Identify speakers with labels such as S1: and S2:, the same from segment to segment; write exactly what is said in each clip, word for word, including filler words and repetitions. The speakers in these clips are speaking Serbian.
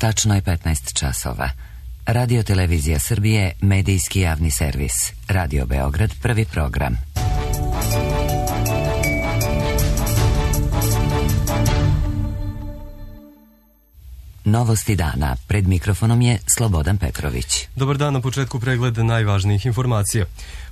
S1: Tačno je petnaest časova. Radio Televizija Srbije, medijski javni servis. Radio Beograd, prvi program. Novosti dana. Pred mikrofonom je Slobodan Petrović.
S2: Dobar dan, na početku pregled najvažnijih informacija.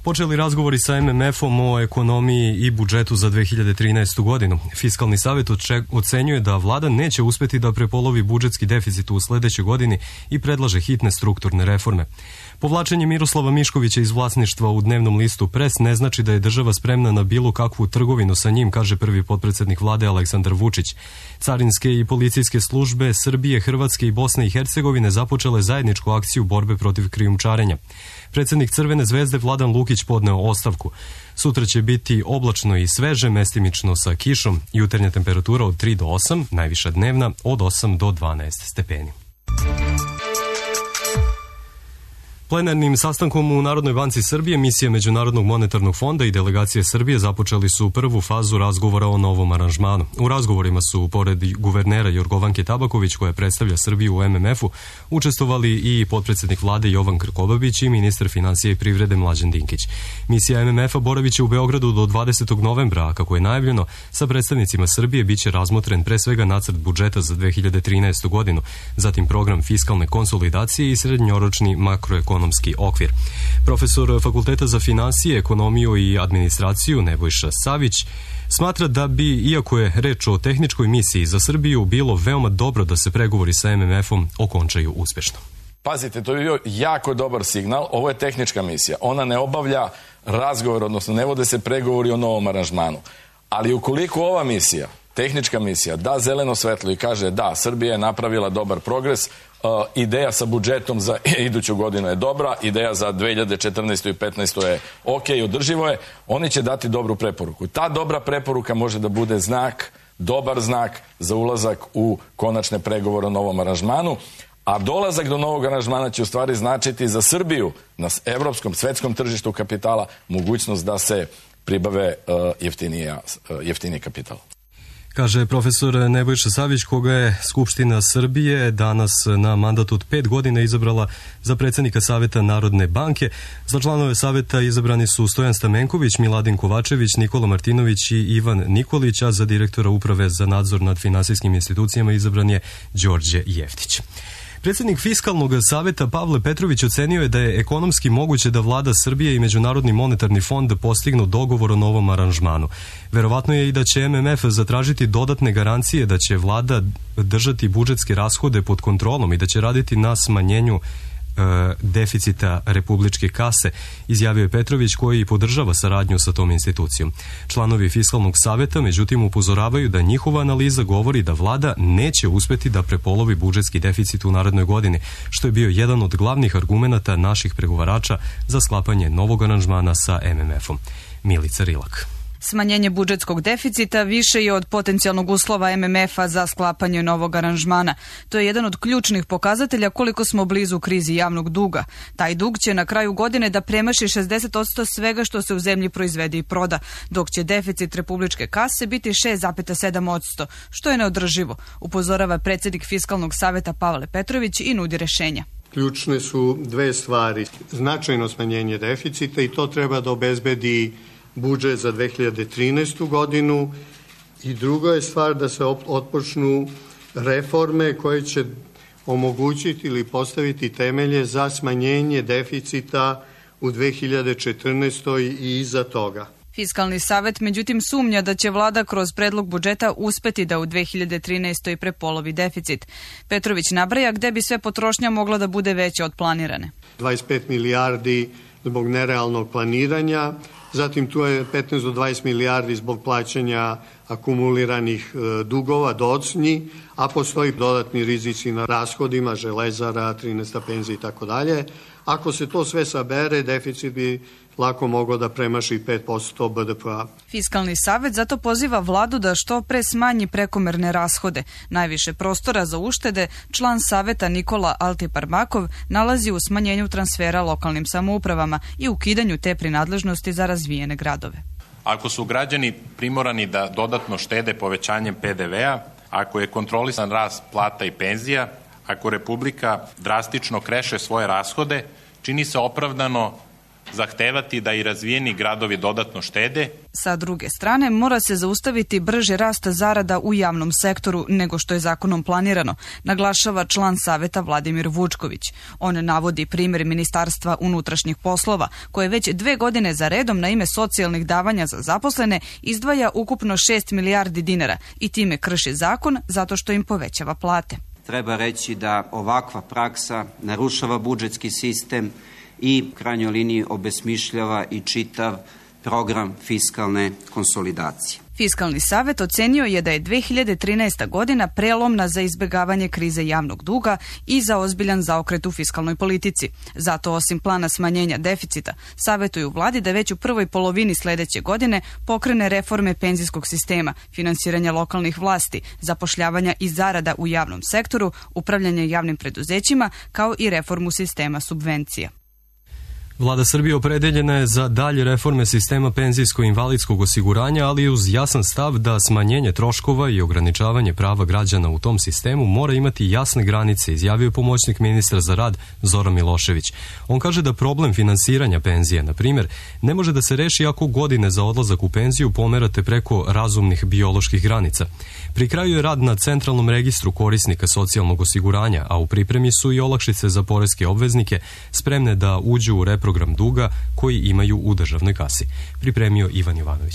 S2: Počeli razgovori sa em em efom o ekonomiji i budžetu za dve hiljade trinaestu. godinu. Fiskalni savjet ocenjuje da vlada neće uspeti da prepolovi budžetski deficit u sledećoj godini i predlaže hitne strukturne reforme. Povlačenje Miroslava Miškovića iz vlasništva u dnevnom listu Pres ne znači da je država spremna na bilo kakvu trgovinu sa njim, kaže prvi potpredsednik vlade Aleksandar Vučić. Carinske i policijske službe Srbije, Hrvatske i Bosne i Hercegovine započele zajedničku akciju borbe protiv krijumčarenja. Predsednik Crvene zvezde Vladan Lukić podneo ostavku. Sutra će biti oblačno i sveže, mestimično sa kišom, jutarnja temperatura od tri do osam, najviša dnevna od osam do dvanaest stepeni. Plenarnim sastankom u Narodnoj banci Srbije, misija Međunarodnog monetarnog fonda i delegacije Srbije započeli su prvu fazu razgovora o novom aranžmanu. U razgovorima su, pored guvernera Jorgovanke Tabaković, koja predstavlja Srbiju u em em efu, učestvovali i potpredsednik vlade Jovan Krkobabić i ministar finansija i privrede Mlađan Dinkić. Misija em em efa boravit će u Beogradu do dvadesetog novembra, a kako je najavljeno, sa predstavnicima Srbije biće razmotren pre svega nacrt budžeta za dve hiljade trinaestu. godinu, zatim program fiskalne konsolidacije i srednjoročni makroekonomski okvir. Profesor Fakulteta za finansije, ekonomiju i administraciju Nebojša Savić smatra da bi, iako je reč o tehničkoj misiji za Srbiju, bilo veoma dobro da se pregovori sa em em efom okončaju uspešno.
S3: Pazite, to je bio jako dobar signal. Ovo je tehnička misija. Ona ne obavlja razgovor, odnosno ne vode se pregovori o novom aranžmanu. Ali ukoliko ova misija, tehnička misija, da zeleno svetlo i kaže da, Srbija je napravila dobar progres, Uh, ideja sa budžetom za iduću godinu je dobra, ideja za dve hiljade četrnaestu. i petnaestu. je ok, održivo je, oni će dati dobru preporuku. Ta dobra preporuka može da bude znak, dobar znak za ulazak u konačne pregovore o novom aranžmanu, a dolazak do novog aranžmana će u stvari značiti za Srbiju na evropskom, svetskom tržištu kapitala mogućnost da se pribave uh, jeftinija, uh, jeftiniji kapital.
S2: Kaže profesor Nebojša Savić, koga je Skupština Srbije danas na mandat od pet godina izabrala za predsednika Saveta Narodne banke. Za članove Saveta izabrani su Stojan Stamenković, Miladin Kovačević, Nikola Martinović i Ivan Nikolić, a za direktora Uprave za nadzor nad finansijskim institucijama izabran je Đorđe Jeftić. Predsednik Fiskalnog saveta Pavle Petrović ocenio je da je ekonomski moguće da vlada Srbije i Međunarodni monetarni fond postignu dogovor o novom aranžmanu. Verovatno je i da će em em ef zatražiti dodatne garancije da će vlada držati budžetske rashode pod kontrolom i da će raditi na smanjenju deficita republičke kase, izjavio je Petrović, koji podržava saradnju sa tom institucijom. Članovi Fiskalnog saveta međutim upozoravaju da njihova analiza govori da vlada neće uspeti da prepolovi budžetski deficit u narednoj godini, što je bio jedan od glavnih argumenata naših pregovarača za sklapanje novog aranžmana sa em em efom. Milica Rilak.
S4: Smanjenje budžetskog deficita više je od potencijalnog uslova em em efa za sklapanje novog aranžmana. To je jedan od ključnih pokazatelja koliko smo blizu krizi javnog duga. Taj dug će na kraju godine da premaši šezdeset posto svega što se u zemlji proizvede i proda, dok će deficit republičke kase biti šest zarez sedam posto, što je neodrživo, upozorava predsednik Fiskalnog saveta Pavle Petrović i nudi rešenja.
S5: Ključne su dve stvari. Značajno smanjenje deficita i to treba da obezbedi budžet za dve hiljade trinaestu. godinu i druga je stvar da se otpočnu reforme koje će omogućiti ili postaviti temelje za smanjenje deficita u dve hiljade četrnaestoj. i iza toga.
S4: Fiskalni savet međutim sumnja da će vlada kroz predlog budžeta uspeti da u dve hiljade trinaestoj. prepolovi deficit. Petrović nabraja gde bi sve potrošnja mogla da bude veća od planirane.
S5: dvadeset pet milijardi zbog nerealnog planiranja, zatim tu je petnaest do dvadeset milijardi zbog plaćanja akumuliranih dugova docnji, a postoji dodatni rizici na rashodima, Železara, trinaesta penzija i tako dalje. Ako se to sve sabere, deficit bi lako mogao da premaši pet posto be de pe-a.
S4: Fiskalni savet zato poziva vladu da što pre smanji prekomerne rashode. Najviše prostora za uštede član saveta Nikola Altiparmakov nalazi u smanjenju transfera lokalnim samoupravama i ukidanju te prinadležnosti za razvijene gradove.
S6: Ako su građani primorani da dodatno štede povećanjem pe de ve-a, ako je kontrolisan rast plata i penzija, Ako Republika drastično kreše svoje rashode, čini se opravdano zahtevati da i razvijeni gradovi dodatno štede.
S4: Sa druge strane, mora se zaustaviti brži rast zarada u javnom sektoru nego što je zakonom planirano, naglašava član Saveta Vladimir Vučković. On navodi primjer Ministarstva unutrašnjih poslova, koje već dve godine za redom na ime socijalnih davanja za zaposlene izdvaja ukupno šest milijardi dinara i time krši zakon zato što im povećava plate.
S7: Treba reći da ovakva praksa narušava budžetski sistem i u krajnjoj liniji obesmišljava i čitav program fiskalne konsolidacije.
S4: Fiskalni savet ocenio je da je dve hiljade trinaesta. godina prelomna za izbjegavanje krize javnog duga i za ozbiljan zaokret u fiskalnoj politici. Zato, osim plana smanjenja deficita, savjetuju vladi da već u prvoj polovini sljedeće godine pokrene reforme penzijskog sistema, finansiranja lokalnih vlasti, zapošljavanja i zarada u javnom sektoru, upravljanje javnim preduzećima, kao i reformu sistema subvencija.
S2: Vlada Srbije opredeljena je za dalje reforme sistema penzijsko-invalidskog osiguranja, ali uz jasan stav da smanjenje troškova i ograničavanje prava građana u tom sistemu mora imati jasne granice, izjavio je pomoćnik ministra za rad Zoran Milošević. On kaže da problem finansiranja penzije, na primjer, ne može da se reši ako godine za odlazak u penziju pomerate preko razumnih bioloških granica. Pri kraju je rad na centralnom registru korisnika socijalnog osiguranja, a u pripremi su i olakšice za poreske obveznike spremne da uđu u reprogram duga koji imaju u državnoj kasi. Pripremio Ivan Jovanović.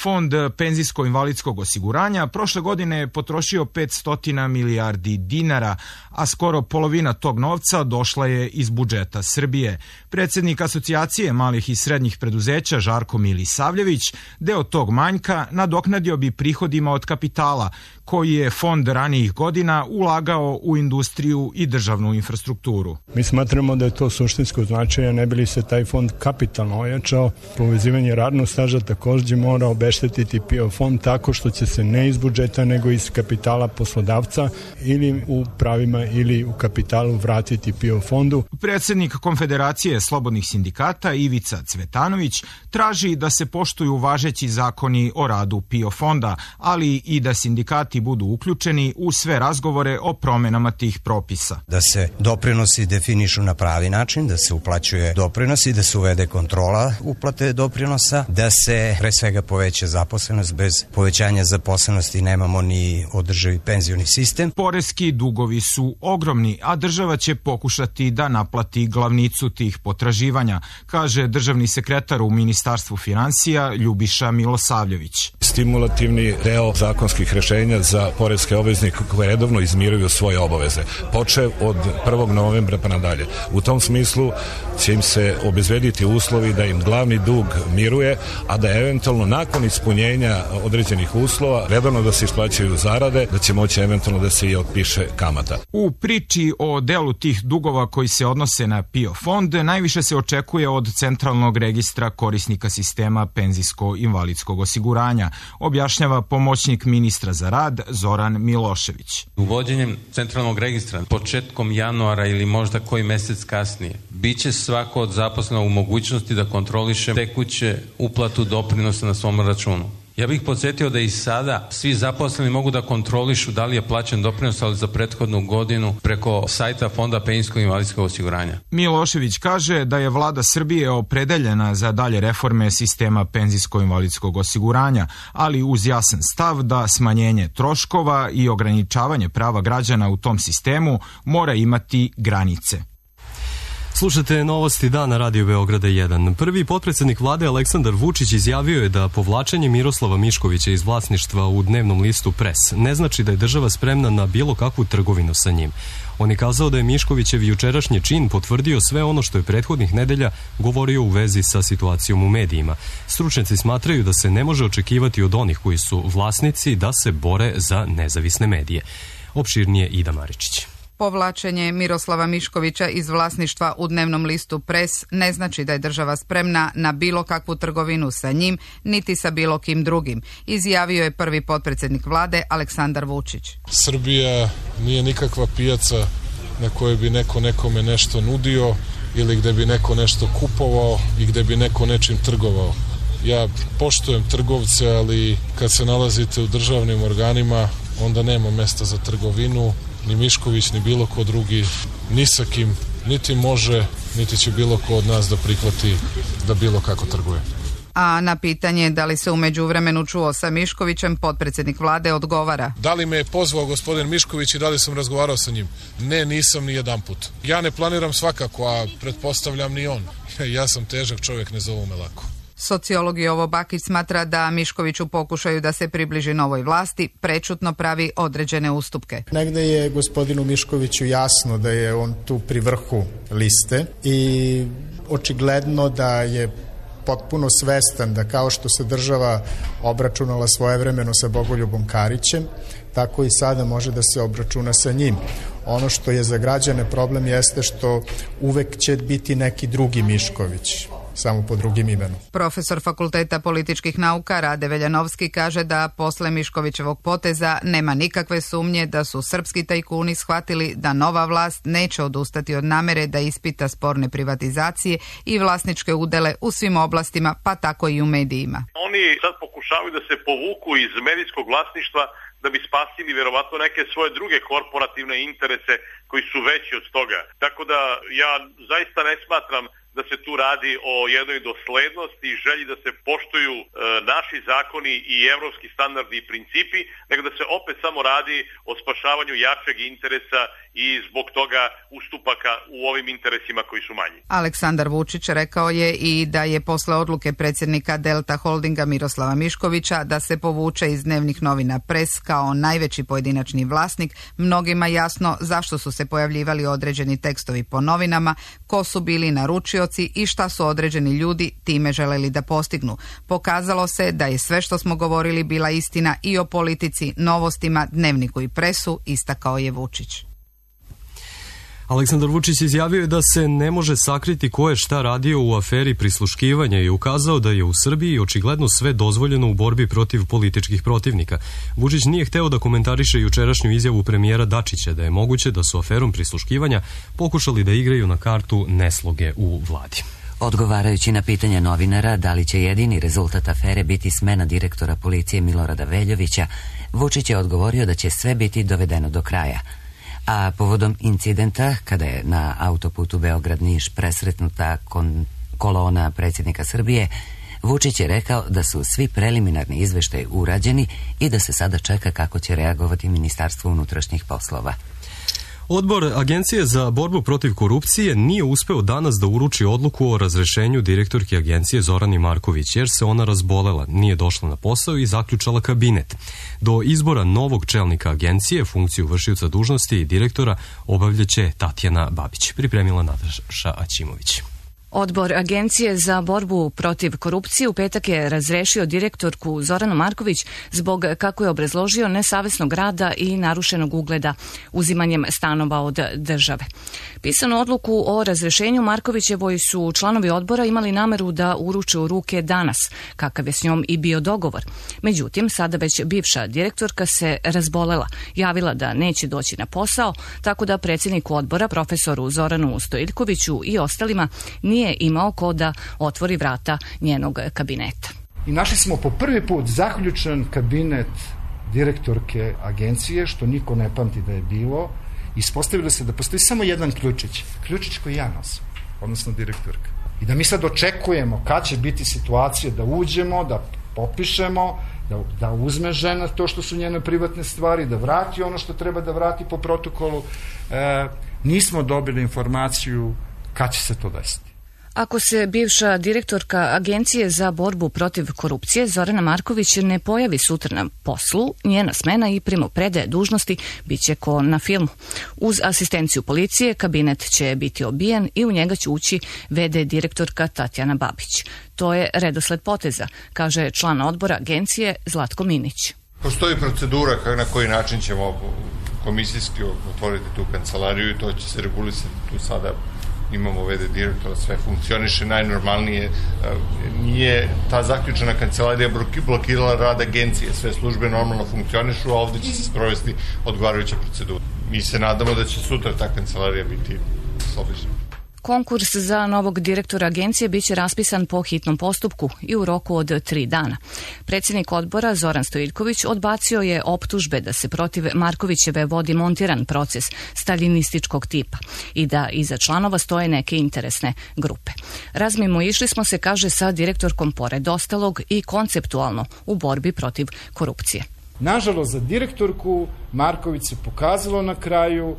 S8: Fond penzijsko-invalidskog osiguranja prošle godine je potrošio petsto milijardi dinara, a skoro polovina tog novca došla je iz budžeta Srbije. Predsjednik Asocijacije malih i srednjih preduzeća Žarko Milisavljević deo tog manjka nadoknadio bi prihodima od kapitala, koji je fond ranijih godina ulagao u industriju i državnu infrastrukturu.
S9: Mi smatramo da je to suštinsko značaja, ne bi li se taj fond kapitalno ojačao. Povezivanje radnog staža također mora obeštetiti P I O fond tako što će se ne iz budžeta nego iz kapitala poslodavca ili u pravima ili u kapitalu vratiti P I O fondu.
S8: Predsjednik Konfederacije slobodnih sindikata Ivica Cvetanović traži da se poštuju važeći zakoni o radu P I O fonda, ali i da sindikati budu uključeni u sve razgovore o promjenama tih propisa.
S10: Da se doprinosi definišu na pravi način, da se uplaćuje doprinosi, da se uvede kontrola uplate doprinosa, da se pre svega poveća zaposlenost. Bez povećanja zaposlenosti nemamo ni održivi penzioni sistem.
S8: Poreski dugovi su ogromni, a država će pokušati da naplati glavnicu tih potraživanja, kaže državni sekretar u Ministarstvu finansija Ljubiša Milosavljević.
S11: Stimulativni deo zakonskih rešenja za poreske obveznike koje redovno izmiruju svoje obaveze, počev od prvog novembra pa nadalje. U tom smislu će im se obezbediti uslovi da im glavni dug miruje, a da eventualno nakon ispunjenja određenih uslova redovno da se isplaćaju zarade, da će moći eventualno da se i otpiše kamata.
S8: U priči o delu tih dugova koji se odnose na P I O fond najviše se očekuje od centralnog registra korisnika sistema penzijsko-invalidskog osiguranja, objašnjava pomoćnik ministra za rad Zoran Milošević.
S12: Uvođenjem centralnog registra početkom januara ili možda koji mjesec kasnije biće svako od zaposlena u mogućnosti da kontroliše tekuće uplatu doprinosa na svom računu. Ja bih podsjetio da i sada svi zaposleni mogu da kontrolišu da li je plaćen doprinos, ali za prethodnu godinu preko sajta Fonda penzijsko-invalidskog osiguranja.
S8: Milošević kaže da je vlada Srbije opredeljena za dalje reforme sistema penzijsko-invalidskog osiguranja, ali uz jasan stav da smanjenje troškova i ograničavanje prava građana u tom sistemu mora imati granice.
S2: Slušate novosti dana Radio Beograda jedan. Prvi potpredsjednik vlade Aleksandar Vučić izjavio je da povlačenje Miroslava Miškovića iz vlasništva u dnevnom listu Pres ne znači da je država spremna na bilo kakvu trgovinu sa njim. On je kazao da je Miškovićev jučerašnji čin potvrdio sve ono što je prethodnih nedelja govorio u vezi sa situacijom u medijima. Stručnjaci smatraju da se ne može očekivati od onih koji su vlasnici da se bore za nezavisne medije. Opširnije Ida Maričić.
S13: Povlačenje Miroslava Miškovića iz vlasništva u dnevnom listu Pres ne znači da je država spremna na bilo kakvu trgovinu sa njim, niti sa bilo kim drugim, izjavio je prvi potpredsjednik vlade Aleksandar Vučić.
S14: Srbija nije nikakva pijaca na kojoj bi neko nekome nešto nudio ili gde bi neko nešto kupovao i gde bi neko nečim trgovao. Ja poštujem trgovce, ali kad se nalazite u državnim organima, onda nema mesta za trgovinu ni Mišković, ni bilo ko drugi, ni sa kim, niti može, niti će bilo ko od nas da prihvati da bilo kako trguje.
S13: A na pitanje da li se u međuvremenu čuo sa Miškovićem, potpredsjednik vlade odgovara.
S14: Da li me je pozvao gospodin Mišković i da li sam razgovarao sa njim? Ne, nisam ni jedan put. Ja ne planiram svakako, a pretpostavljam ni on. Ja sam težak čovjek, ne zovu me lako.
S13: Sociolog Jovo Bakić smatra da Mišković u pokušaju da se približi novoj vlasti prečutno pravi određene ustupke.
S15: Negde je gospodinu Miškoviću jasno da je on tu pri vrhu liste i očigledno da je potpuno svestan da kao što se država obračunala svojevremeno sa Bogoljubom Karićem, tako i sada može da se obračuna sa njim. Ono što je za građane problem jeste što uvek će biti neki drugi Mišković, samo po drugim imenom.
S13: Profesor Fakulteta političkih nauka Rade Veljanovski kaže da posle Miškovićevog poteza nema nikakve sumnje da su srpski tajkuni shvatili da nova vlast neće odustati od namere da ispita sporne privatizacije i vlasničke udele u svim oblastima, pa tako i u medijima.
S16: Oni sad pokušavaju da se povuku iz medijskog vlasništva da bi spasili verovatno neke svoje druge korporativne interese koji su veći od toga. Tako da ja zaista ne smatram da se tu radi o jednoj doslednosti i želji da se poštuju e, naši zakoni i evropski standardi i principi, nego da se opet samo radi o spašavanju jačeg interesa i zbog toga ustupaka u ovim interesima koji su manji.
S13: Aleksandar Vučić rekao je i da je posle odluke predsjednika Delta Holdinga Miroslava Miškovića da se povuče iz dnevnih novina Pres kao najveći pojedinačni vlasnik, mnogima jasno zašto su se pojavljivali određeni tekstovi po novinama, ko su bili naručioci i šta su određeni ljudi time želeli da postignu. Pokazalo se da je sve što smo govorili bila istina i o politici, novostima, dnevniku i Presu, istakao je Vučić.
S2: Aleksandar Vučić izjavio je da se ne može sakriti ko je šta radio u aferi prisluškivanja i ukazao da je u Srbiji očigledno sve dozvoljeno u borbi protiv političkih protivnika. Vučić nije hteo da komentariše jučerašnju izjavu premijera Dačića da je moguće da su aferom prisluškivanja pokušali da igraju na kartu nesloge u vladi.
S1: Odgovarajući na pitanje novinara da li će jedini rezultat afere biti smena direktora policije Milorada Veljovića, Vučić je odgovorio da će sve biti dovedeno do kraja. A povodom incidenta, kada je na autoputu Beograd-Niš presretnuta kon- kolona predsjednika Srbije, Vučić je rekao da su svi preliminarni izveštaji urađeni i da se sada čeka kako će reagovati Ministarstvo unutrašnjih poslova.
S2: Odbor Agencije za borbu protiv korupcije nije uspeo danas da uruči odluku o razrešenju direktorke agencije Zorani Marković, jer se ona razbolela, nije došla na posao i zaključala kabinet. Do izbora novog čelnika agencije, funkciju vršioca dužnosti i direktora obavljaće Tatjana Babić. Pripremila Nataša Aćimović.
S17: Odbor Agencije za borbu protiv korupcije u petak je razrešio direktorku Zoranu Marković zbog, kako je obrazložio, nesavesnog rada i narušenog ugleda uzimanjem stanova od države. Pisanu odluku o razrešenju Markovićevoj su članovi odbora imali nameru da uruče u ruke danas, kakav je s njom i bio dogovor. Međutim, sada već bivša direktorka se razbolela, javila da neće doći na posao, tako da predsjedniku odbora, profesoru Zoranu Stojiljkoviću i ostalima, nije imao ko da otvori vrata njenog kabineta.
S18: I našli smo po prvi put zaključan kabinet direktorke agencije, što niko ne pamti da je bilo. Ispostavilo se da postoji samo jedan ključić, ključić koji ja nosim, odnosno direktorka. I da mi sad očekujemo kad će biti situacija da uđemo, da popišemo, da, da uzme žena to što su njene privatne stvari, da vrati ono što treba da vrati po protokolu. E, nismo dobili informaciju kad će se to desiti.
S17: Ako se bivša direktorka Agencije za borbu protiv korupcije Zorana Marković ne pojavi sutra na poslu, njena smena i primopredaje dužnosti biće ko na filmu. Uz asistenciju policije kabinet će biti obijen i u njega će ući ve de direktorka Tatjana Babić. To je redosled poteza, kaže član odbora agencije Zlatko Minić.
S19: Postoji procedura na koji način ćemo komisijski otvoriti tu kancelariju i to će se regulisati tu sada. Imamo ve de direktora, sve funkcioniše najnormalnije, nije ta zaključena kancelarija blokirala rad agencije, sve službe normalno funkcionišu, a ovdje će se sprovesti odgovarajuća procedura. Mi se nadamo da će sutra ta kancelarija biti slobođena.
S17: Konkurs za novog direktora agencije biće raspisan po hitnom postupku i u roku od tri dana. Predsjednik odbora Zoran Stojiljković odbacio je optužbe da se protiv Markovićeve vodi montiran proces staljinističkog tipa i da iza članova stoje neke interesne grupe. Razmimo išli smo se, kaže, sa direktorkom pored ostalog i konceptualno u borbi protiv korupcije.
S18: Nažalost, za direktorku Marković se pokazalo na kraju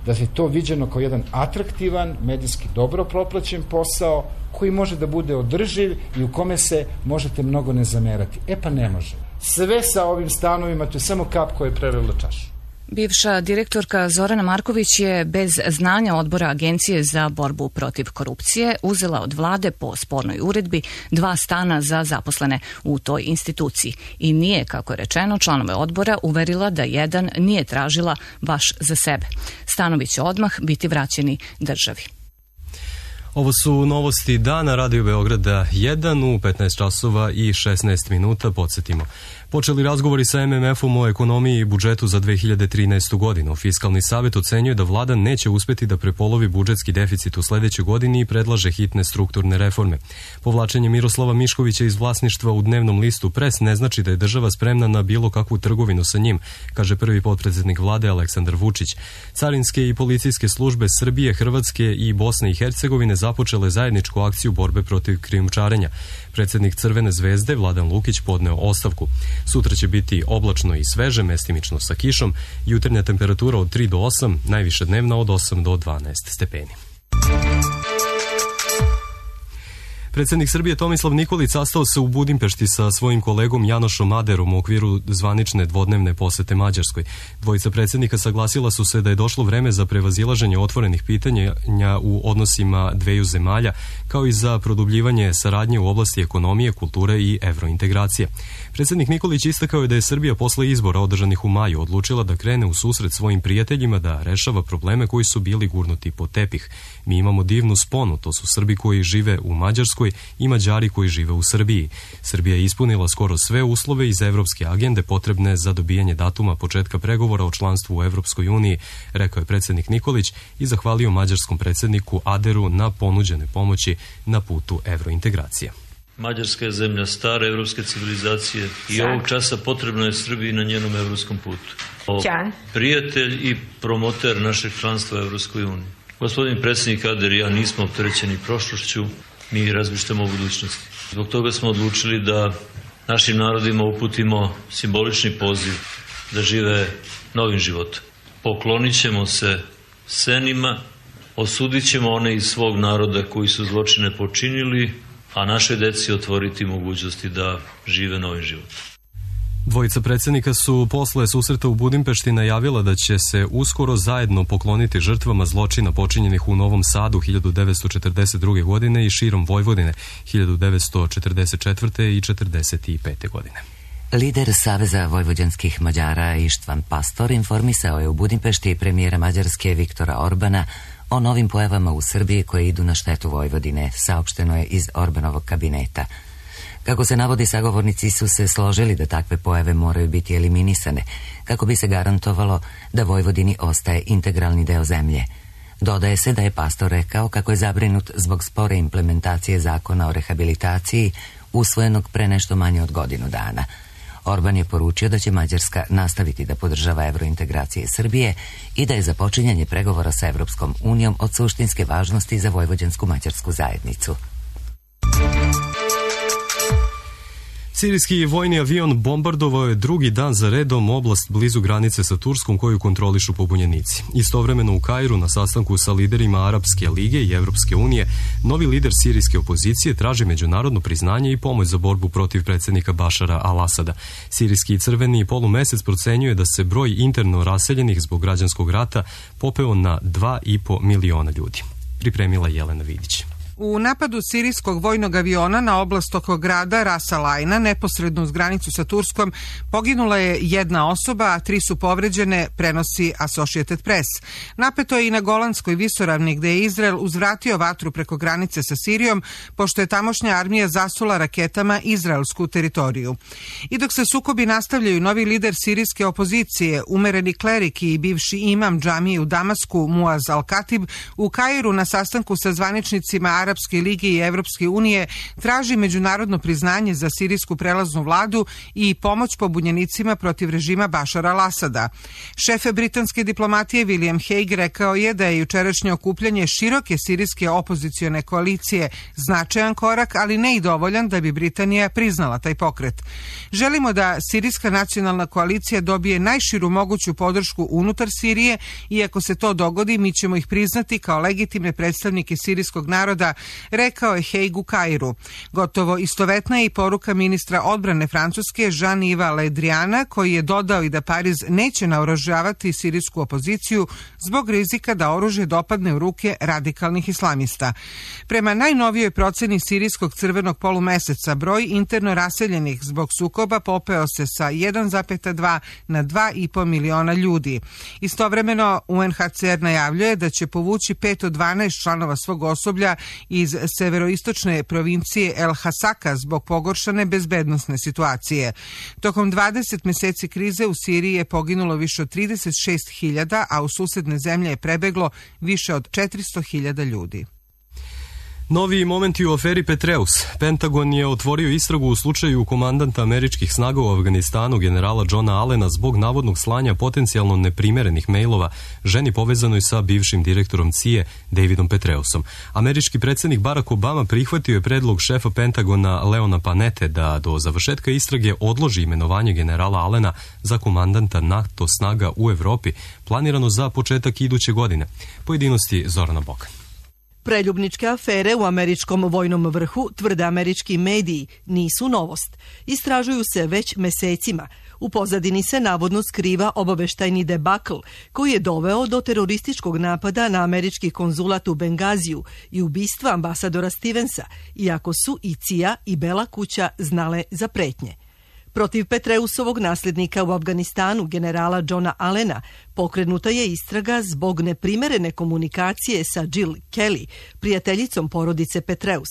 S18: da je to viđeno kao jedan atraktivan, medijski dobro proplaćen posao koji može da bude održiv i u kome se možete mnogo ne zamerati. E pa ne može. Sve sa ovim stanovima, to je samo kap koja je prelila čašu.
S17: Bivša direktorka Zorana Marković je bez znanja odbora Agencije za borbu protiv korupcije uzela od vlade po spornoj uredbi dva stana za zaposlene u toj instituciji i nije, kako je rečeno, članove odbora uverila da jedan nije tražila baš za sebe. Stanovi će odmah biti vraćeni državi.
S2: Ovo su novosti dana Radio Beograda jedan u petnaest časova i šesnaest minuta. Podsjetimo. Počeli razgovori sa em em efom o ekonomiji i budžetu za dve hiljade trinaestu. godinu. Fiskalni savjet ocenjuje da vlada neće uspeti da prepolovi budžetski deficit u sledećoj godini i predlaže hitne strukturne reforme. Povlačenje Miroslava Miškovića iz vlasništva u dnevnom listu Pres ne znači da je država spremna na bilo kakvu trgovinu sa njim, kaže prvi potpredsednik vlade Aleksandar Vučić. Carinske i policijske službe Srbije, Hrvatske i Bosne i Hercegovine započele zajedničku akciju borbe protiv krijumčarenja. Predsednik Crvene zvezde Vladan Lukić podneo ostavku. Sutra će biti oblačno i sveže, mestimično sa kišom, jutarnja temperatura od tri do osam, najviša dnevna od osam do dvanaest stepeni. Predsjednik Srbije Tomislav Nikolić sastao se u Budimpešti sa svojim kolegom Janošom Aderom u okviru zvanične dvodnevne posete Mađarskoj. Dvojica predsjednika saglasila su se da je došlo vreme za prevazilaženje otvorenih pitanja u odnosima dveju zemalja, kao i za produbljivanje saradnje u oblasti ekonomije, kulture i evrointegracije. Predsjednik Nikolić istakao je da je Srbija posle izbora održanih u maju odlučila da krene u susret svojim prijateljima, da rešava probleme koji su bili gurnuti pod tepih. Mi imamo divnu sponu, to su Srbi koji žive u Mađarskoj i Mađari koji žive u Srbiji. Srbija je ispunila skoro sve uslove iz evropske agende potrebne za dobijanje datuma početka pregovora o članstvu u Evropskoj uniji, rekao je predsjednik Nikolić i zahvalio mađarskom predsjedniku Aderu na ponuđene pomoći na putu evrointegracije.
S20: Mađarska je zemlja stare evropske civilizacije i ovog časa potrebno je Srbiji na njenom evropskom putu. O, prijatelj i promoter našeg članstva u Evropskoj uniji. Gospodin predsjednik Ader i ja nismo opterećeni prošlošću, mi razmišljamo o budućnosti. Zbog toga smo odlučili da našim narodima uputimo simbolični poziv da žive novim životom. Poklonit ćemo se senima, osudit ćemo one iz svog naroda koji su zločine počinili, a našoj deci otvoriti mogućnosti da žive novim životom.
S2: Dvojica predsjednika su posle susreta u Budimpešti najavila da će se uskoro zajedno pokloniti žrtvama zločina počinjenih u Novom Sadu hiljadu devetsto četrdeset druge. godine i širom Vojvodine hiljadu devetsto četrdeset četvrte. i četrdeset pete. godine.
S1: Lider Saveza vojvođanskih Mađara Ištvan Pastor informisao je u Budimpešti premijera Mađarske Viktora Orbana o novim pojavama u Srbiji koje idu na štetu Vojvodine, saopšteno je iz Orbanovog kabineta. Kako se navodi, sagovornici su se složili da takve pojave moraju biti eliminisane, kako bi se garantovalo da Vojvodini ostaje integralni deo zemlje. Dodaje se da je Pastor rekao kako je zabrinut zbog spore implementacije zakona o rehabilitaciji, usvojenog pre nešto manje od godinu dana. Orban je poručio da će Mađarska nastaviti da podržava evrointegracije Srbije i da je započinjanje pregovora sa Evropskom unijom od suštinske važnosti za vojvođansku mađarsku zajednicu.
S2: Sirijski vojni avion bombardovao je drugi dan za redom oblast blizu granice sa Turskom koju kontrolišu pobunjenici. Istovremeno u Kairu na sastanku sa liderima Arapske lige i Evropske unije, novi lider sirijske opozicije traži međunarodno priznanje i pomoć za borbu protiv predsjednika Bašara al-Asada. Sirijski crveni polumesec procenjuje da se broj interno raseljenih zbog građanskog rata popeo na dva i po miliona ljudi. Pripremila Jelena Vidić.
S21: U napadu sirijskog vojnog aviona na oblast oko grada Ras Al Aina, neposredno uz granicu sa Turskom, poginula je jedna osoba, a tri su povređene, prenosi Associated Press. Napeto je i na Golanskoj visoravni, gde je Izrael uzvratio vatru preko granice sa Sirijom, pošto je tamošnja armija zasula raketama izraelsku teritoriju. I dok se sukobi nastavljaju, novi lider sirijske opozicije, umereni klerik i bivši imam džamije u Damasku, Muaz Al-Katib, u Kairu na sastanku sa zvaničnicima Arapske lige i Evropske unije traži međunarodno priznanje za sirijsku prelaznu vladu i pomoć pobunjenicima protiv režima Bašara al-Asada. Šef britanske diplomatije William Hague rekao je da je jučerašnje okupljanje široke sirijske opozicione koalicije značajan korak, ali ne i dovoljan da bi Britanija priznala taj pokret. Želimo da sirijska nacionalna koalicija dobije najširu moguću podršku unutar Sirije i ako se to dogodi, mi ćemo ih priznati kao legitimne predstavnike sirijskog naroda, rekao je Hague u Kairu. Gotovo istovetna je i poruka ministra odbrane Francuske Jean-Yves Le Driana, koji je dodao i da Pariz neće naoružavati sirijsku opoziciju zbog rizika da oružje dopadne u ruke radikalnih islamista. Prema najnovijoj proceni sirijskog crvenog polumeseca, broj interno raseljenih zbog sukoba popeo se sa jedan zarez dva na dva i po miliona ljudi. Istovremeno U N H C R najavljuje da će povući pet od dvanaest članova svog osoblja iz severoistočne provincije El Hasaka zbog pogoršane bezbednosne situacije. Tokom dvadeset meseci krize u Siriji je poginulo više od trideset šest hiljada, a u susedne zemlje je prebeglo više od četiristo hiljada ljudi.
S2: Novi momenti u aferi Petreus. Pentagon je otvorio istragu u slučaju komandanta američkih snaga u Afganistanu generala Johna Allena zbog navodnog slanja potencijalno neprimerenih mailova ženi povezanoj sa bivšim direktorom C I A Davidom Petreusom. Američki predsjednik Barack Obama prihvatio je predlog šefa Pentagona Leona Panette da do završetka istrage odloži imenovanje generala Allena za komandanta NATO snaga u Evropi, planirano za početak iduće godine. Pojedinosti Zorana Bokan.
S22: Preljubničke afere u američkom vojnom vrhu, tvrde američki mediji, nisu novost. Istražuju se već mesecima. U pozadini se navodno skriva obaveštajni debakl koji je doveo do terorističkog napada na američki konzulat u Bengaziju i ubistva ambasadora Stevensa, iako su i C I A i Bela kuća znale za pretnje. Protiv Petreusovog nasljednika u Afganistanu, generala Johna Allena, pokrenuta je istraga zbog neprimerene komunikacije sa Jill Kelly, prijateljicom porodice Petreus.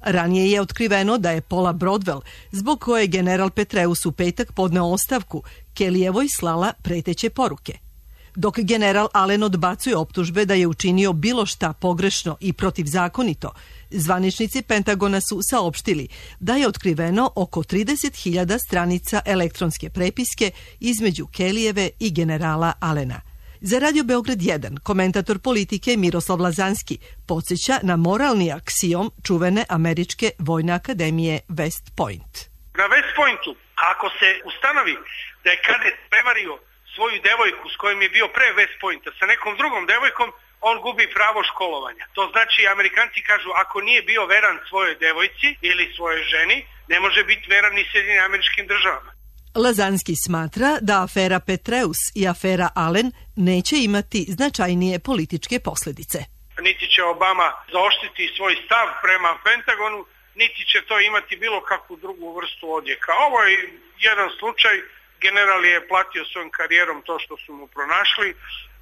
S22: Ranije je otkriveno da je Paula Broadwell, zbog koje je general Petreus u petak podneo ostavku, Kellyjevoj slala preteće poruke. Dok general Allen odbacuje optužbe da je učinio bilo šta pogrešno i protivzakonito, zvaničnici Pentagona su saopštili da je otkriveno oko trideset hiljada stranica elektronske prepiske između Kellyjeve i generala Allena. Za Radio Beograd jedan, komentator politike Miroslav Lazanski podsjeća na moralni aksiom čuvene američke vojne akademije West Point.
S23: Na West Pointu, ako se ustanovi da je kadet prevario svoju devojku s kojom je bio pre West Pointa sa nekom drugom devojkom, on gubi pravo školovanja. To znači, Amerikanci kažu, ako nije bio veran svojoj devojci ili svojoj ženi, ne može biti veran ni Sjedinjenim Američkim Državama.
S22: Lazanski smatra da afera Petreus i afera Allen neće imati značajnije političke posljedice.
S23: Niti će Obama zaoštriti svoj stav prema Pentagonu, niti će to imati bilo kakvu drugu vrstu odjeka. Ovo je jedan slučaj. General je platio svojom karijerom to što su mu pronašli,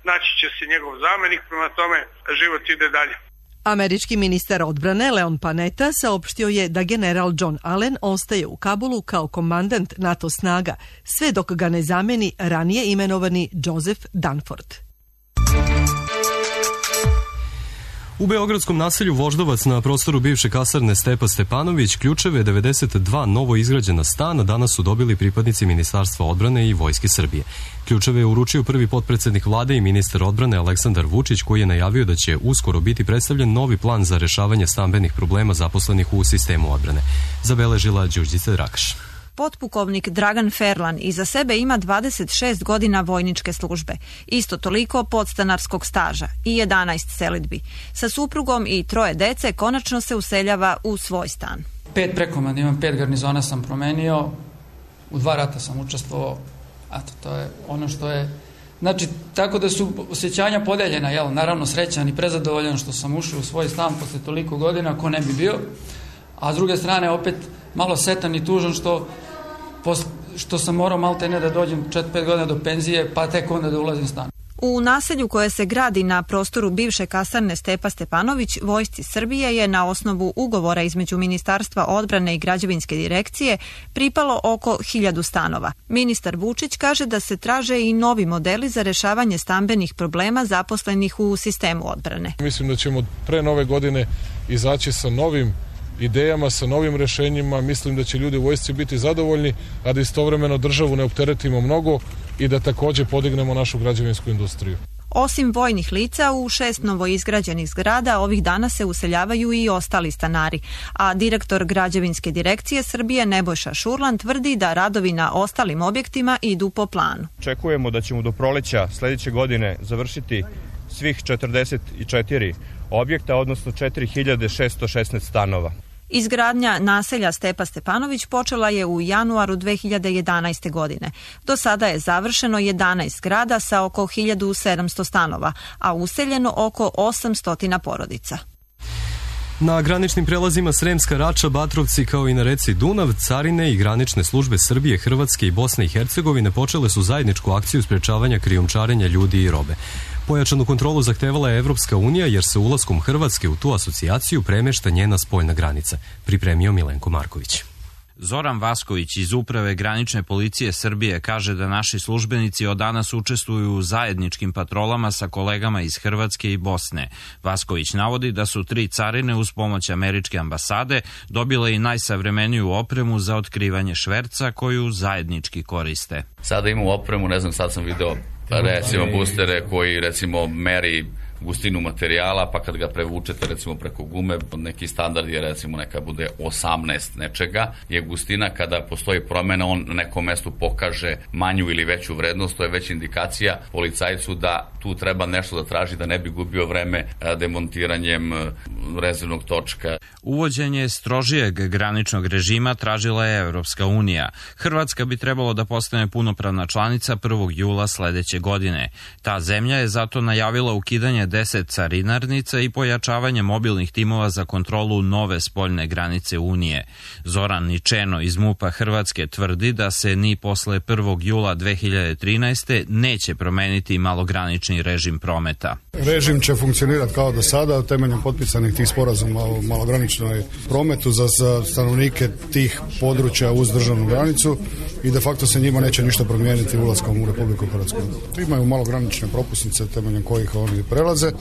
S23: naći će se njegov zamenik, prema tome život ide dalje.
S22: Američki ministar odbrane Leon Panetta saopštio je da general John Allen ostaje u Kabulu kao komandant NATO snaga, sve dok ga ne zameni ranije imenovani Joseph Dunford.
S2: U beogradskom naselju Voždovac na prostoru bivše kasarne Stepa Stepanović ključeve devedeset dva novo izgrađena stana danas su dobili pripadnici Ministarstva odbrane i Vojske Srbije. Ključeve je uručio prvi potpredsednik vlade i ministar odbrane Aleksandar Vučić, koji je najavio da će uskoro biti predstavljen novi plan za rešavanje stambenih problema zaposlenih u sistemu odbrane. Zabeležila Đurđica Drakaš.
S24: Potpukovnik Dragan Ferlan iza sebe ima dvadeset šest godina vojničke službe, isto toliko podstanarskog staža i jedanaest selidbi. Sa suprugom i troje dece konačno se useljava u svoj stan.
S25: Pet prekomanda, imam pet garnizona sam promenio, u dva rata sam učestvovao, a to je ono što je Znači, tako da su osjećanja podeljena, jel, naravno srećan i prezadovoljan što sam ušao u svoj stan posle toliko godina, ko ne bi bio, a s druge strane opet malo setan i tužan što, što sam morao malte ne da dođem četiri pet godina do penzije, pa tek onda da ulazim u stan.
S24: U naselju koje se gradi na prostoru bivše kasarne Stepa Stepanović, Vojsci Srbije je na osnovu ugovora između Ministarstva odbrane i Građevinske direkcije pripalo oko hiljadu stanova. Ministar Vučić kaže da se traže i novi modeli za rešavanje stambenih problema zaposlenih u sistemu odbrane.
S14: Mislim da ćemo pre nove godine izaći sa novim idejama, sa novim rešenjima. Mislim da će ljudi u vojsci biti zadovoljni, a da istovremeno državu ne opteretimo mnogo i da takođe podignemo našu građevinsku industriju.
S24: Osim vojnih lica, u šest novoizgrađenih zgrada ovih dana se useljavaju i ostali stanari, a direktor Građevinske direkcije Srbije Nebojša Šurlan tvrdi da radovi na ostalim objektima idu po planu.
S3: Očekujemo da ćemo do proleća sledeće godine završiti svih četrdeset četiri objekta, odnosno četiri hiljade šesto šesnaest stanova.
S24: Izgradnja naselja Stepa Stepanović počela je u januaru dve hiljade jedanaeste. godine. Do sada je završeno jedanaest zgrada sa oko hiljadu sedamsto stanova, a useljeno oko osamsto porodica.
S2: Na graničnim prelazima Sremska Rača, Batrovci kao i na reci Dunav, carine i granične službe Srbije, Hrvatske i Bosne i Hercegovine počele su zajedničku akciju sprečavanja krijumčarenja ljudi i robe. Pojačanu kontrolu zahtevala je Evropska unija jer se ulaskom Hrvatske u tu asocijaciju premešta njena spoljna granica, pripremio Milenko Marković.
S4: Zoran Vasković iz Uprave granične policije Srbije kaže da naši službenici od danas učestvuju u zajedničkim patrolama sa kolegama iz Hrvatske i Bosne. Vasković navodi da su tri carine uz pomoć američke ambasade dobile i najsavremeniju opremu za otkrivanje šverca koju zajednički koriste.
S5: Sada imamo opremu, ne znam, sad sam video recimo boostere koji recimo meri gustinu materijala, pa kad ga prevučete recimo preko gume, neki standard je recimo neka bude osamnaest nečega, je gustina kada postoji promena, on na nekom mestu pokaže manju ili veću vrednost, to je već indikacija policajcu da tu treba nešto da traži, da ne bi gubio vreme demontiranjem rezervnog točka.
S4: Uvođenje strožijeg graničnog režima tražila je Evropska unija. Hrvatska bi trebalo da postane punopravna članica prvog jula sledeće godine. Ta zemlja je zato najavila ukidanje deset carinarnica i pojačavanje mobilnih timova za kontrolu nove spoljne granice Unije. Zoran Ničeno iz MUP-a Hrvatske tvrdi da se ni posle prvog jula dve hiljade trinaeste. neće promeniti malogranični režim prometa.
S6: Režim će funkcionirati kao do sada, temeljem potpisanih tih sporazuma o malograničnoj prometu za stanovnike tih područja uz državnu granicu i de facto se njima neće ništa promijeniti ulaskom u Republiku Hrvatsku. Imaju malogranične propusnice temeljem kojih oni prelaze.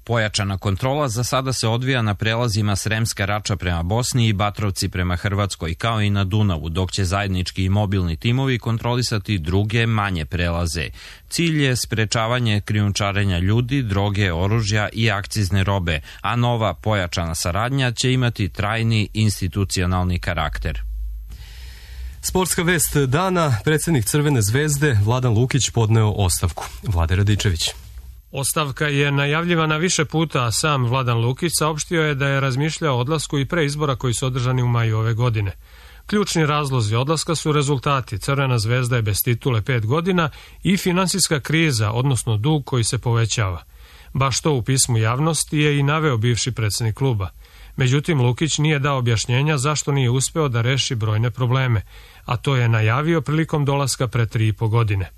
S4: Pojačana kontrola za sada se odvija na prelazima Sremska Rača prema Bosni i Batrovci prema Hrvatskoj, kao i na Dunavu, dok će zajednički i mobilni timovi kontrolisati druge manje prelaze. Cilj je sprečavanje krijumčarenja ljudi, droge, oružja i akcizne robe, a nova pojačana saradnja će imati trajni institucionalni karakter.
S2: Sportska vest dana, predsjednik Crvene zvezde Vladan Lukić podneo ostavku. Vlade Radičević.
S7: Ostavka je najavljivana više puta, a sam Vladan Lukić saopštio je da je razmišljao o odlasku i pre izbora koji su održani u maju ove godine. Ključni razlozi odlaska su rezultati. Crvena zvezda je bez titule pet godina i finansijska kriza, odnosno dug koji se povećava. Baš to u pismu javnosti je i naveo bivši predsjednik kluba. Međutim, Lukić nije dao objašnjenja zašto nije uspeo da reši brojne probleme, a to je najavio prilikom dolaska pre tri i po godine.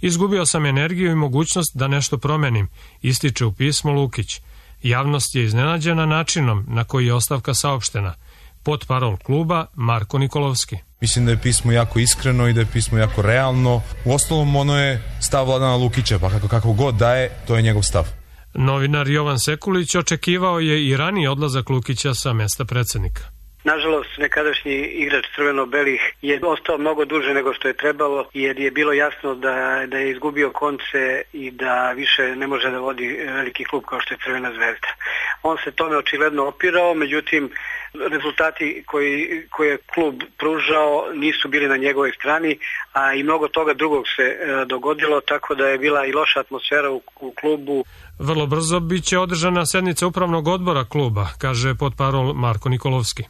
S7: Izgubio sam energiju i mogućnost da nešto promenim, ističe u pismu Lukić. Javnost je iznenađena načinom na koji je ostavka saopštena. Potparol kluba Marko Nikolovski.
S26: Mislim da je pismo jako iskreno i da je pismo jako realno. U ostalom, ono je stav Vladana Lukića, pa kako, kako god daje, to je njegov stav.
S7: Novinar Jovan Sekulić očekivao je i raniji odlazak Lukića sa mesta predsjednika.
S23: Nažalost, nekadašnji igrač crveno-belih je ostao mnogo duže nego što je trebalo, jer je bilo jasno da, da je izgubio konce i da više ne može da vodi veliki klub kao što je Crvena zvezda. On se tome očigledno opirao, međutim, rezultati koji, koje je klub pružao nisu bili na njegovoj strani, a i mnogo toga drugog se e, dogodilo, tako da je bila i loša atmosfera u, u klubu.
S7: Vrlo brzo biće održana sednica upravnog odbora kluba, kaže potparol Marko Nikolovski.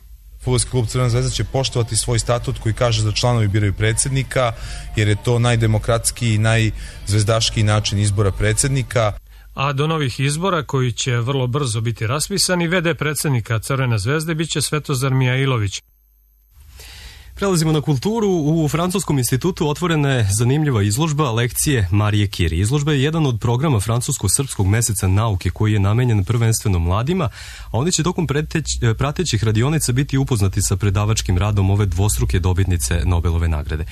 S26: Fudbalski klub Crvena zvezda će poštovati svoj statut koji kaže da članovi biraju predsjednika, jer je to najdemokratskiji i najzvezdaškiji način izbora predsjednika.
S7: A do novih izbora, koji će vrlo brzo biti raspisani, v d predsjednika Crvene zvezde biće Svetozar Mijailović.
S2: Prelazimo na kulturu. U Francuskom institutu otvorena je zanimljiva izložba lekcije Marije Curie. Izložba je jedan od programa Francusko-srpskog meseca nauke koji je namenjen prvenstveno mladima, a oni će tokom preteć, pratećih radionica biti upoznati sa predavačkim radom ove dvostruke dobitnice Nobelove nagrade.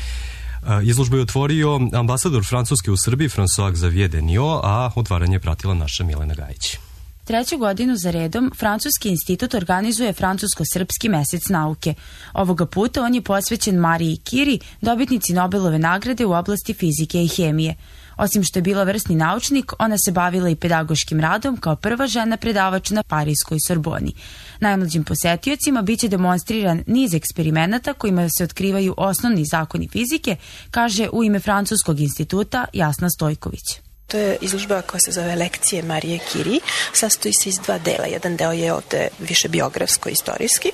S2: Izložbu je otvorio ambasador Francuske u Srbiji François Xavier Deniot, a otvaranje je pratila naša Milena Gajić.
S8: Treću godinu za redom Francuski institut organizuje Francusko-srpski mesec nauke. Ovoga puta on je posvećen Mariji Curie, dobitnici Nobelove nagrade u oblasti fizike i hemije. Osim što je bila vrsni naučnik, ona se bavila i pedagoškim radom kao prva žena predavač na Parijskoj Sorboni. Najmlađim posetiocima biće demonstriran niz eksperimenata kojima se otkrivaju osnovni zakoni fizike, kaže u ime Francuskog instituta Jasna Stojković.
S9: To je izložba koja se zove Lekcije Marije Curie. Sastoji se iz dva dela. Jedan deo je ovde više biografsko-istorijski.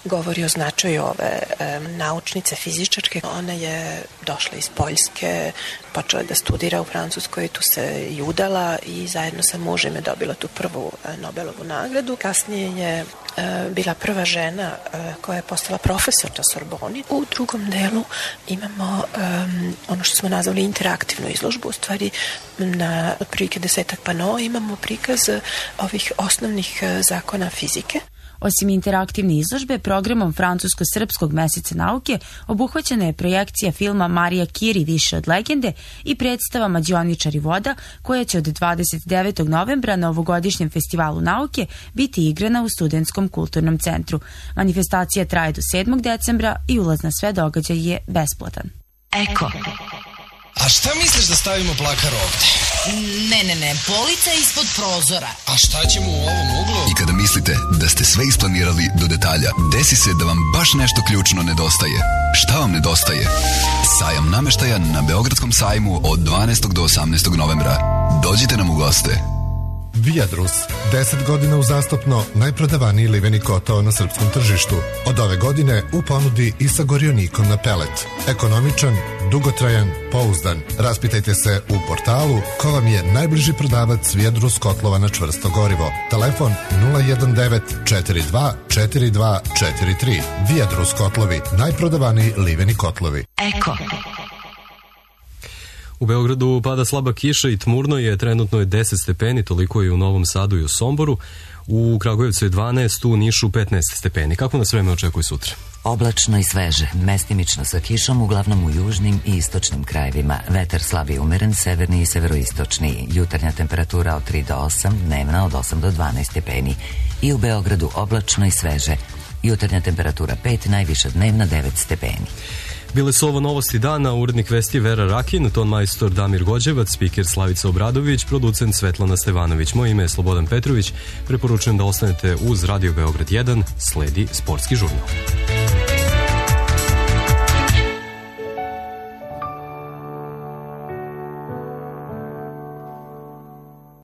S9: Govori o značaju ove e, naučnice, fizičarke. Ona je došla iz Poljske, počela da studira u Francuskoj, tu se i udala i zajedno sa mužem je dobila tu prvu e, Nobelovu nagradu. Kasnije je e, bila prva žena e, koja je postala profesor na Sorboni. U drugom delu imamo e, ono što smo nazvali interaktivnu izložbu, u stvari na otprilike desetak panoa imamo prikaz ovih osnovnih zakona fizike.
S8: Osim interaktivne izložbe, programom Francusko-srpskog meseca nauke obuhvaćena je projekcija filma Marija Curie više od legende i predstava Mađioničar i voda, koja će od dvadeset devetog novembra na ovogodišnjem festivalu nauke biti igrana u Studentskom kulturnom centru. Manifestacija traje do sedmog decembra i ulaz na sve događaje je besplatan.
S10: Eko. A šta misliš da stavimo plakar ovde?
S11: Ne, ne, ne, polica ispod prozora.
S10: A šta ćemo u ovom uglu?
S12: I kada mislite da ste sve isplanirali do detalja, desi se da vam baš nešto ključno nedostaje. Šta vam nedostaje? Sajam nameštaja na Beogradskom sajmu od dvanaestog do osamnaestog novembra. Dođite nam u goste.
S15: Viadrus, deset godina uzastopno najprodavaniji liveni kotao na srpskom tržištu. Od ove godine u ponudi i sa gorionikom na pelet. Ekonomičan, dugotrajan, pouzdan. Raspitajte se u portalu ko vam je najbliži prodavac Viadrus kotlova na čvrsto gorivo. Telefon nula jedan devet četiri dva četiri dva četiri tri. Viadrus kotlovi, najprodavaniji liveni kotlovi.
S10: Eko.
S2: U Beogradu pada slaba kiša i tmurno je, trenutno je deset stepeni, toliko je u Novom Sadu i u Somboru. U Kragujevcu je dvanaest, u Nišu petnaest stepeni. Kako nas vreme očekuje sutra?
S1: Oblačno i sveže, mestimično sa kišom, uglavnom u južnim i istočnim krajevima. Vetar slab i umeren, severni i severoistočni. Jutarnja temperatura od tri do osam, dnevna od osam do dvanaest stepeni. I u Beogradu oblačno i sveže. Jutarnja temperatura pet, najviša dnevna devet stepeni.
S2: Bile su ovo novosti dana, urednik vesti Vera Rakin, ton majstor Damir Gođevac, spiker Slavica Obradović, producent Svetlana Stevanović. Moje ime je Slobodan Petrović, preporučujem da ostanete uz Radio Beograd jedan, sledi sportski žurnal.